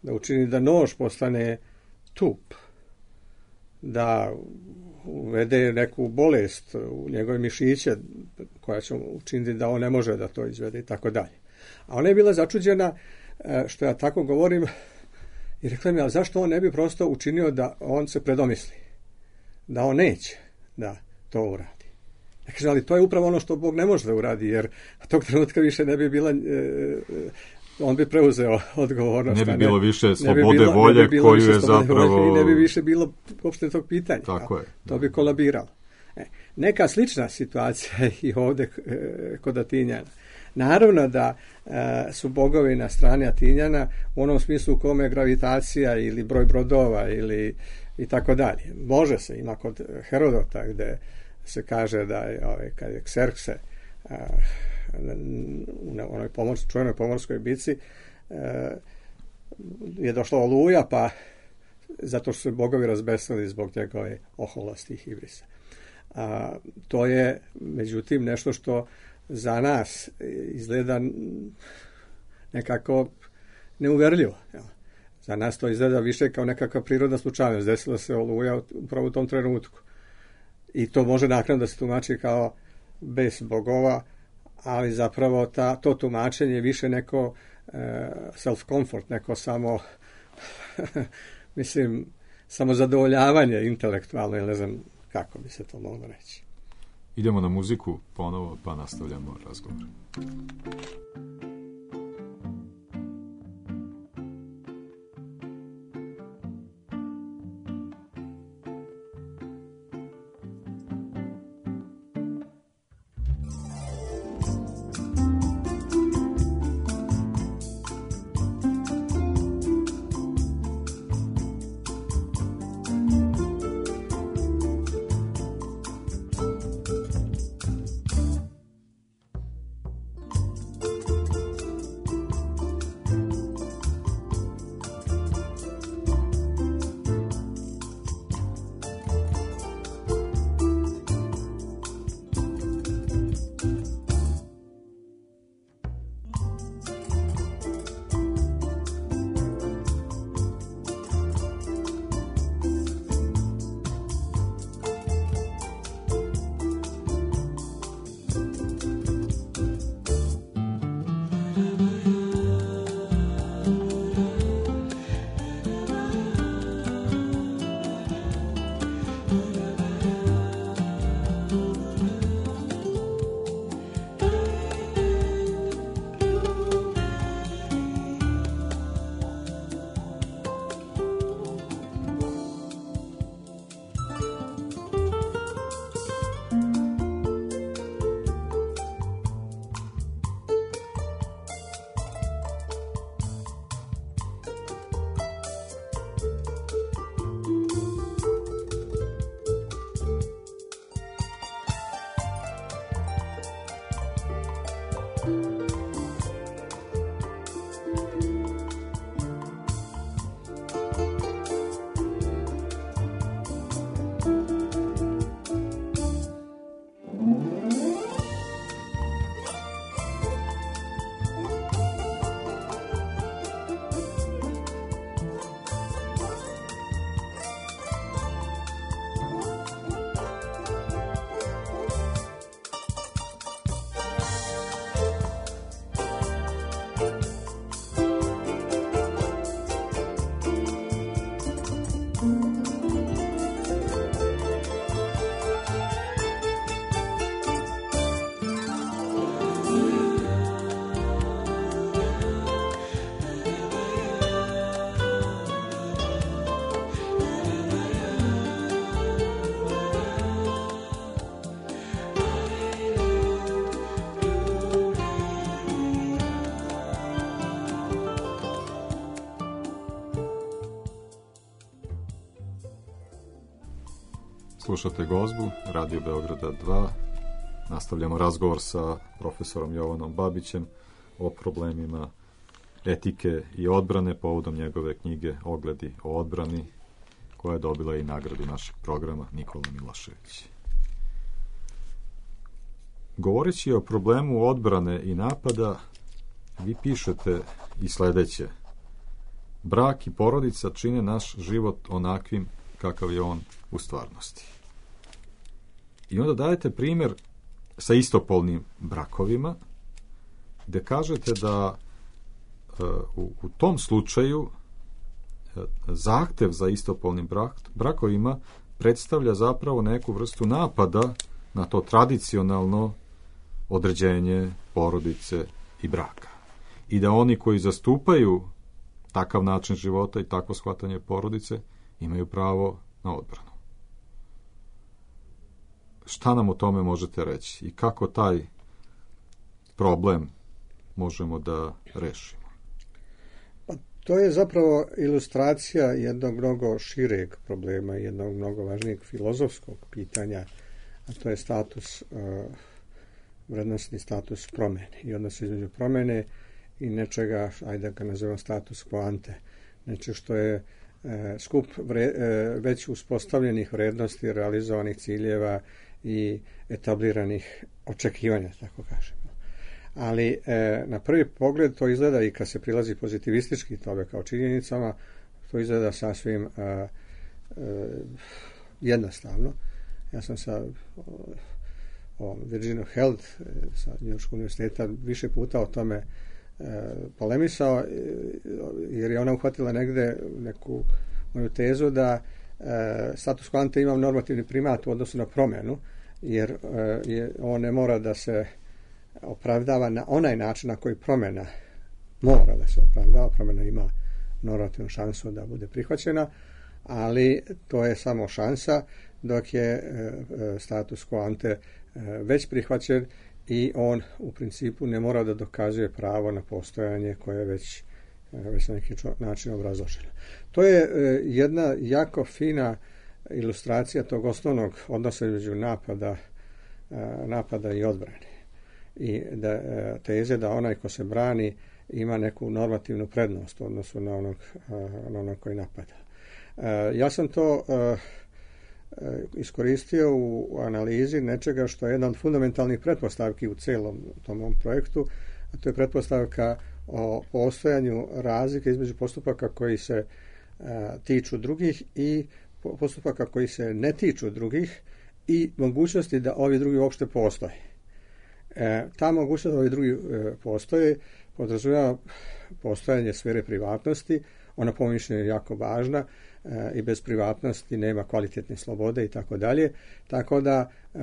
da učini da nož postane tup, da uvede neku bolest u njegove mišiće koja će učiniti da on ne može da to izvede i tako dalje. A ona je bila začuđena što ja tako govorim i rekla mi, ali zašto on ne bi prosto učinio da on se predomisli, da on neće da to uradi. Ja kažem, ali to je upravo ono što Bog ne može da uradi, jer tog trenutka više ne bi bila, e, on bi preuzeo odgovornost. Ne bi bilo ne, više ne slobode bi bilo, volje ne bi bilo koju više je zapravo... Volje, i ne bi više bilo uopšte tog pitanja. Tako je. To bi kolabiralo. E, neka slična situacija i ovdje e, kod Atinjana. Naravno da e, su bogovi na strani Atinjana u onom smislu u kome je gravitacija ili broj brodova ili i tako dalje. Može se, ima kod Herodota gde se kaže da je ovaj, kad je Kserkse a, u onoj pomorskoj, čuvenoj pomorskoj bici a, je došla oluja, pa zato što su bogovi razbesnili zbog njegove oholosti i hibrisa. A, to je međutim nešto što za nas izgleda nekako neuverljivo. Jel? Za nas to izgleda više kao nekakva prirodna slučajnost. Desila se oluja upravo u tom trenutku. I to može naknadno da se tumači kao bez bogova, ali zapravo ta, to tumačenje je više neko e, self-comfort, neko samo mislim, samo zadovoljavanje intelektualno, ili ne znam kako bi se to moglo reći. Idemo na muziku ponovo, pa nastavljamo razgovor. Slušate Gozbu, Radio Beograda dva. Nastavljamo razgovor sa profesorom Jovanom Babićem o problemima etike i odbrane povodom njegove knjige Ogledi o odbrani, koja je dobila i nagradu našeg programa Nikola Milošević. Govoreći o problemu odbrane i napada, vi pišete i sledeće: brak i porodica čine naš život onakvim kakav je on u stvarnosti. I onda dajete primjer sa istopolnim brakovima, gde kažete da e, u, u tom slučaju e, zahtev za istopolnim brak, brakovima predstavlja zapravo neku vrstu napada na to tradicionalno određenje porodice i braka. I da oni koji zastupaju takav način života i takvo shvatanje porodice imaju pravo na odbranu. Šta nam o tome možete reći i kako taj problem možemo da rešimo? Pa, to je zapravo ilustracija jednog mnogo šireg problema, jednog mnogo važnijeg filozofskog pitanja, a to je status, uh, vrednostni status promene i odnos između promene i nečega, ajde da ga nazovem status quo ante, nečeg što je e, skup vre, e, već uspostavljenih vrednosti, realizovanih ciljeva i etabliranih očekivanja, tako kažemo. Ali e, na prvi pogled to izgleda, i kad se prilazi pozitivistički tome kao činjenicama, to izgleda sasvim e, e, jednostavno. Ja sam sa o, Virginia Health sa Njujorškog univerziteta više puta o tome polemisao, jer je ona uhvatila negde neku moju tezu da e, status quo ante ima normativni primat u odnosu na promjenu, jer e, je, on ne mora da se opravdava na onaj način na koji promjena mora da se opravdava. Promjena ima normativnu šansu da bude prihvaćena, ali to je samo šansa, dok je e, status quo ante e, već prihvaćen i on u principu ne mora da dokazuje pravo na postojanje koje je već, već na neki način obrazloženo. To je jedna jako fina ilustracija tog osnovnog odnosa između napada, napada i odbrane. I da, teze da onaj ko se brani ima neku normativnu prednost u odnosu na onog, na onog koji napada. Ja sam to iskoristio u analizi nečega što je jedna od fundamentalnih pretpostavki u celom tom mom projektu, a to je pretpostavka o postojanju razlike između postupaka koji se a, tiču drugih i postupaka koji se ne tiču drugih i mogućnosti da ovi drugi uopšte postoje. E, ta mogućnost da ovi drugi e, postoje podrazumijeva postojanje sfere privatnosti. Ona po mišljenju je jako važna, e, i bez privatnosti nema kvalitetne slobode i tako dalje. Tako da e,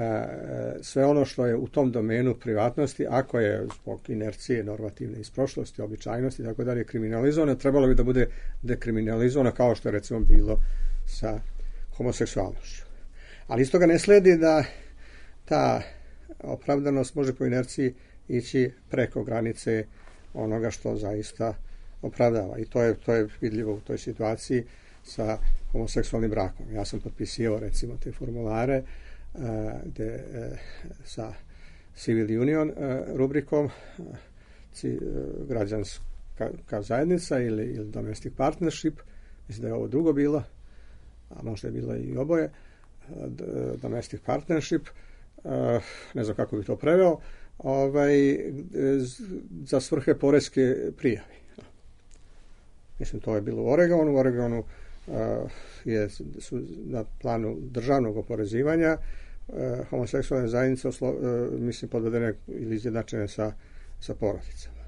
sve ono što je u tom domenu privatnosti, ako je zbog inercije normativne iz prošlosti, običajnosti i tako dalje kriminalizovano, trebalo bi da bude dekriminalizovano, kao što je recimo bilo sa homoseksualnošću. Ali iz toga ne sledi da ta opravdanost može po inerciji ići preko granice onoga što zaista opravdava. I to je, to je vidljivo u toj situaciji sa homoseksualnim brakom. Ja sam potpisio recimo te formulare uh, de, uh, sa Civil Union uh, rubrikom uh, ci, uh, građanska zajednica ili, ili domestic partnership. Mislim da je ovo drugo bilo, a možda je bilo i oboje. Uh, domestic partnership, uh, ne znam kako bi to preveo, ovaj, za svrhe poreske prijave. Mislim, to je bilo u Oregonu. U Oregonu uh, je, su na planu državnog oporezivanja uh, homoseksualne zajednice oslo, uh, mislim, podvedene ili izjednačene sa, sa porodicama.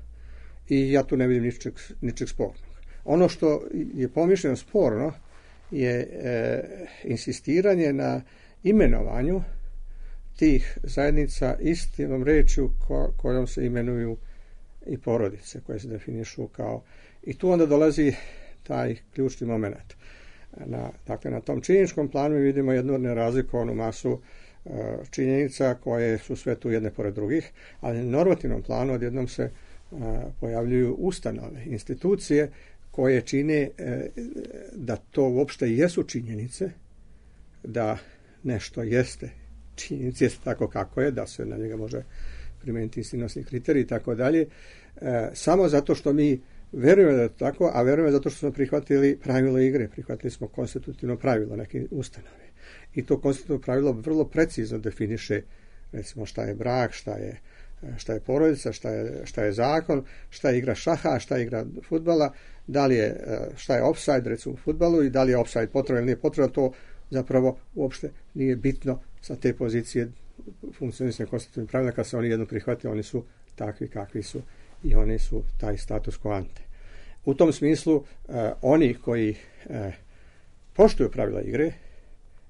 I ja tu ne vidim ničeg, ničeg spornog. Ono što je pomišljeno sporno je uh, insistiranje na imenovanju tih zajednica istom rečju ko, kojom se imenuju i porodice, koje se definišu kao... I tu onda dolazi taj ključni moment. Na, dakle, na tom činjeničkom planu mi vidimo jednu nerazlikovanu masu uh, činjenica koje su sve tu jedne pored drugih, ali na normativnom planu odjednom se uh, pojavljuju ustanove, institucije koje čine uh, da to uopšte jesu činjenice, da nešto jeste, činjenica jeste tako kako je, da se na njega može primijeniti sigurnosni kriterij i tako dalje, samo zato što mi verujemo da je to tako, a verujemo zato što smo prihvatili pravilo igre, prihvatili smo konstitutivno pravilo neke ustanove. I to konstitutivno pravilo vrlo precizno definiše, recimo, šta je brak, šta je, šta je porodica, šta je, šta je zakon, šta je igra šaha, šta je igra fudbala, da li je, šta je offside, recimo, u fudbalu, i da li je offside potrebno ili nije potrebno, to zapravo uopšte nije bitno sa te pozicije funkcionisanja konstitutivnih pravila. Kad se oni jedno prihvatili, oni su takvi kakvi su i oni su taj status quo ante. U tom smislu, eh, oni koji eh, poštuju pravila igre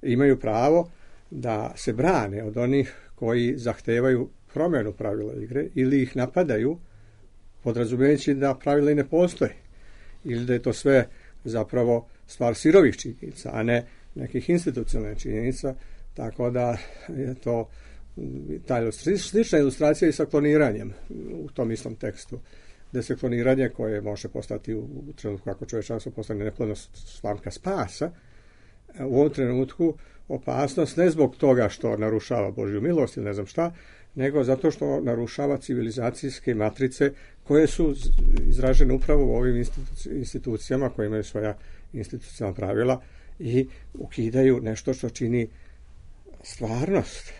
imaju pravo da se brane od onih koji zahtevaju promjenu pravila igre ili ih napadaju podrazumijevajući da pravila i ne postoje ili da je to sve zapravo stvar sirovih činjenica, a ne nekih institucionalnih činjenica, tako da je to ta ilustri, slična ilustracija i sa kloniranjem u tom istom tekstu, gdje se kloniranje koje može postati u, u trenutku kako čovječanstvo postane neplodno slamka spasa, u ovom trenutku opasnost ne zbog toga što narušava Božju milost ili ne znam šta, nego zato što narušava civilizacijske matrice koje su izražene upravo u ovim institu- institucijama koje imaju svoja institucionalna pravila i ukidaju nešto što čini stvarnost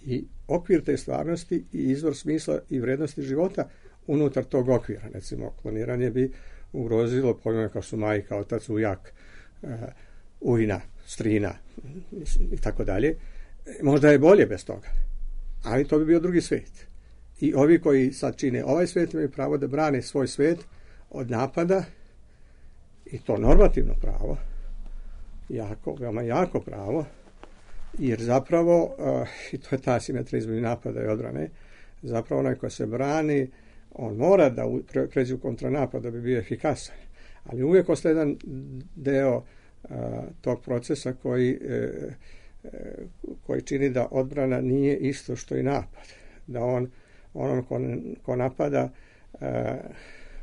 i okvir te stvarnosti i izvor smisla i vrednosti života unutar tog okvira. Recimo, kloniranje bi ugrozilo pojmove kao su majka, otac, ujak, uh, ujna, strina i tako dalje. Možda je bolje bez toga, ali to bi bio drugi svijet. I ovi koji sad čine ovaj svijet imaju pravo da brane svoj svijet od napada, i to normativno pravo, jako, veoma jako pravo, jer zapravo, uh, i to je ta asimetrija između napada i odbrane, zapravo onaj ko se brani, on mora da pre, pređe u kontranapad da bi bio efikasan, ali uvijek ostaje jedan deo uh, tog procesa koji, uh, koji čini da odbrana nije isto što i napad. Da on, onom ko, ko napada uh,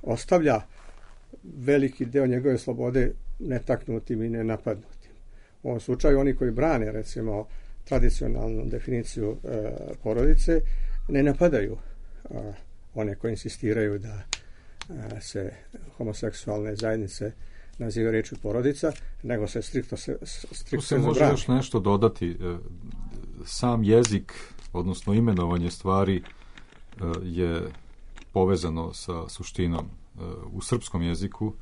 ostavlja veliki deo njegove slobode netaknutim i nenapadnutim. U ovom slučaju oni koji brane, recimo, tradicionalnu definiciju e, porodice, ne napadaju e, one koji insistiraju da e, se homoseksualne zajednice naziva rečju porodica, nego se striktno se striktno tu se može zabrani. Još nešto dodati. Sam jezik, odnosno imenovanje stvari, je povezano sa suštinom. U srpskom jeziku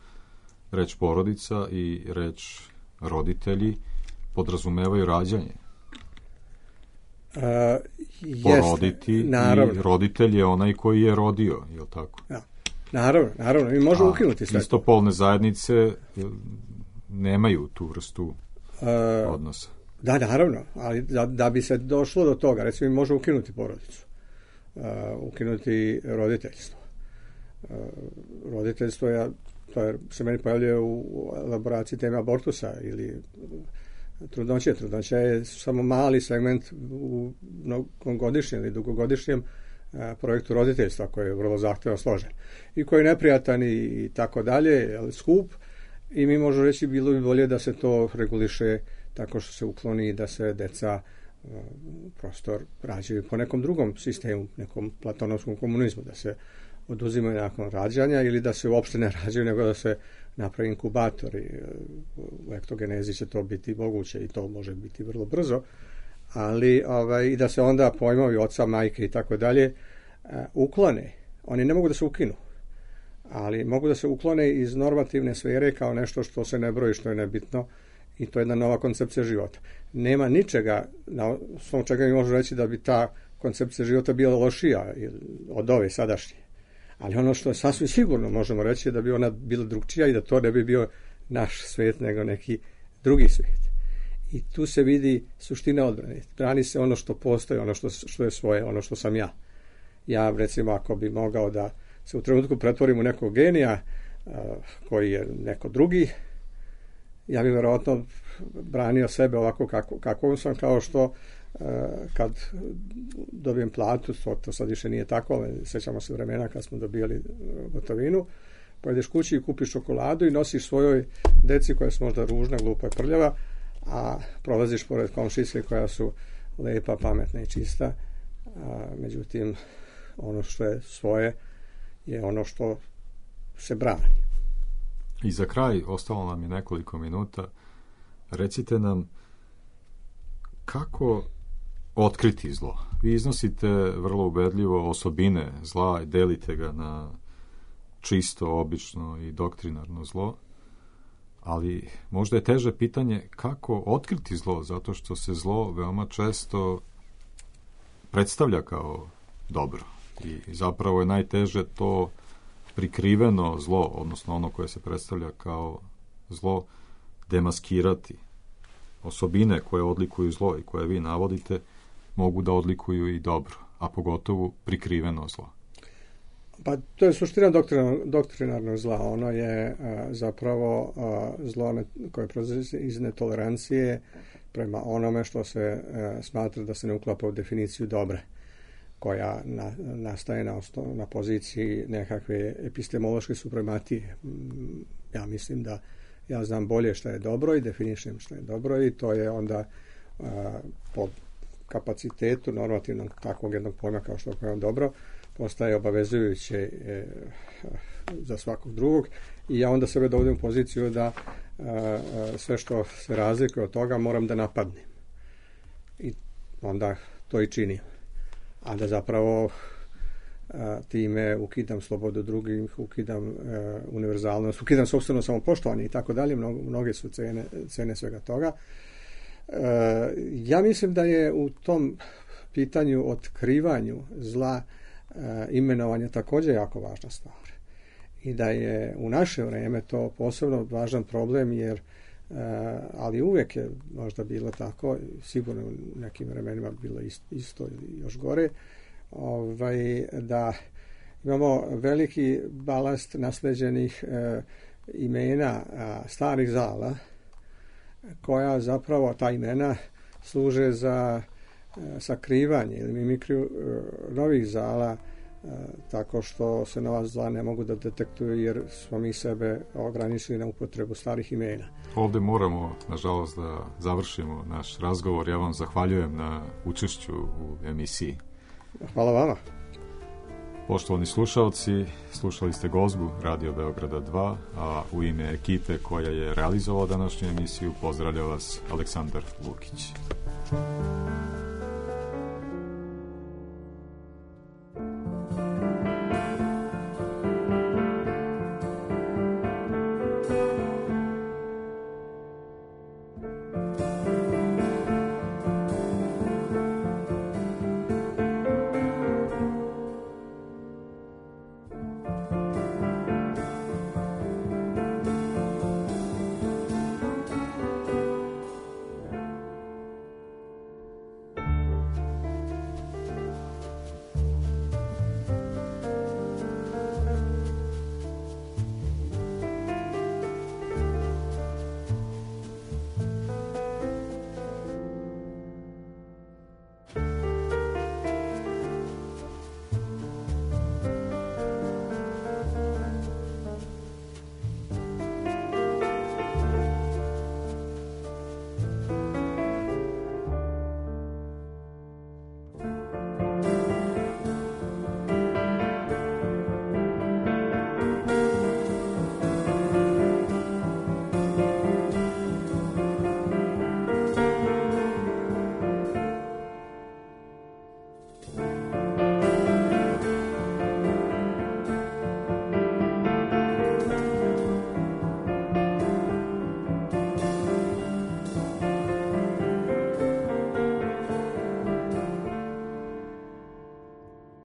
reč porodica i reč roditelji podrazumevaju rađanje. Uh, Poroditi naravno. I roditelj je onaj koji je rodio, je li tako? Ja. Naravno, naravno, mi možemo A ukinuti sve. istopolne zajednice nemaju tu vrstu uh, odnosa. Da, naravno, ali da, da bi se došlo do toga, recimo mi možemo ukinuti porodicu, uh, ukinuti roditeljstvo. Uh, roditeljstvo je, to je, se meni pojavljuje u elaboraciji teme abortusa ili trudnoće. Trudnoća je samo mali segment u mnogogodišnjem ili dugogodišnjem a, projektu roditeljstva koji je vrlo zahtevno složen i koji je neprijatan i, i tako dalje, skup, i mi možemo reći bilo bi bolje da se to reguliše tako što se ukloni da se deca a, prostor rađaju po nekom drugom sistemu, nekom platonovskom komunizmu, da se oduzimaju nakon rađanja ili da se uopšte ne rađaju, nego da se napravi inkubatori. U ektogenezi će to biti moguće i to može biti vrlo brzo, ali ovaj, i da se onda pojmovi oca, majke i tako dalje uklone. Oni ne mogu da se ukinu, ali mogu da se uklone iz normativne sfere kao nešto što se ne broji, što je nebitno, i to je jedna nova koncepcija života. Nema ničega na osnovu čega mi možemo reći da bi ta koncepcija života bila lošija od ove sadašnje. Ali ono što je sasvim sigurno možemo reći je da bi ona bila drugčija i da to ne bi bio naš svijet nego neki drugi svijet. I tu se vidi suština odbrane. Brani se ono što postoji, ono što, što je svoje, ono što sam ja. Ja, recimo, ako bi mogao da se u trenutku pretvorim u nekog genija uh, koji je neko drugi, ja bih vjerojatno branio sebe ovako kako, kako sam, kao što kad dobijem platu, to, to sad više nije tako, ali sećamo se vremena kad smo dobijali gotovinu, pojedeš kući i kupiš čokoladu i nosiš svojoj deci koja su možda ružna, glupa i prljava, a prolaziš pored komšijske koja su lepa, pametna i čista, a, međutim ono što je svoje je ono što se brani. I za kraj, ostalo nam je nekoliko minuta, recite nam kako otkriti zlo. Vi iznosite vrlo ubedljivo osobine zla i delite ga na čisto, obično i doktrinarno zlo, ali možda je teže pitanje kako otkriti zlo, zato što se zlo veoma često predstavlja kao dobro. I zapravo je najteže to prikriveno zlo, odnosno ono koje se predstavlja kao zlo, demaskirati. Osobine koje odlikuju zlo i koje vi navodite mogu da odlikuju i dobro, a pogotovo prikriveno zlo. Pa to je suština doktrinarnog, doktrinarnog zla. Ono je a, zapravo a, zlo ne, koje proizlazi iz netolerancije prema onome što se a, smatra da se ne uklapa u definiciju dobra, koja na, nastaje na, osnov, na poziciji nekakve epistemološke suprematije. Ja mislim da ja znam bolje šta je dobro i definišem šta je dobro i to je onda a, po kapacitetu normativnog takvog jednog pojma kao što je pojam dobro postaje obavezujuće e, za svakog drugog i ja onda sebe dovodim u poziciju da a, sve što se razlikuje od toga moram da napadnem i onda to i činim, a da zapravo a, time ukidam slobodu drugih, ukidam a, univerzalnost, ukidam sopstveno samopoštovanje i tako dalje. Mnoge su cene, cene svega toga. A, ja mislim da je u tom pitanju otkrivanju zla a, imenovanje također jako važna stvar i da je u naše vrijeme to posebno važan problem jer a, ali uvijek je možda bilo tako, sigurno u nekim vremenima bilo isto, isto ili još gore, ovaj, da imamo veliki balast nasleđenih e, imena a, starih zala koja zapravo ta imena služe za e, sakrivanje ili mimikriju e, novih zala e, tako što se nova zla ne mogu da detektuju jer smo mi sebe ograničili na upotrebu starih imena. Ovdje moramo, nažalost, da završimo naš razgovor. Ja vam zahvaljujem na učešću u emisiji. Hvala vama. Poštovani slušalci, slušali ste Gozbu Radio Beograda dva, a u ime ekipe koja je realizovala današnju emisiju pozdravlja vas Aleksandar Lukić.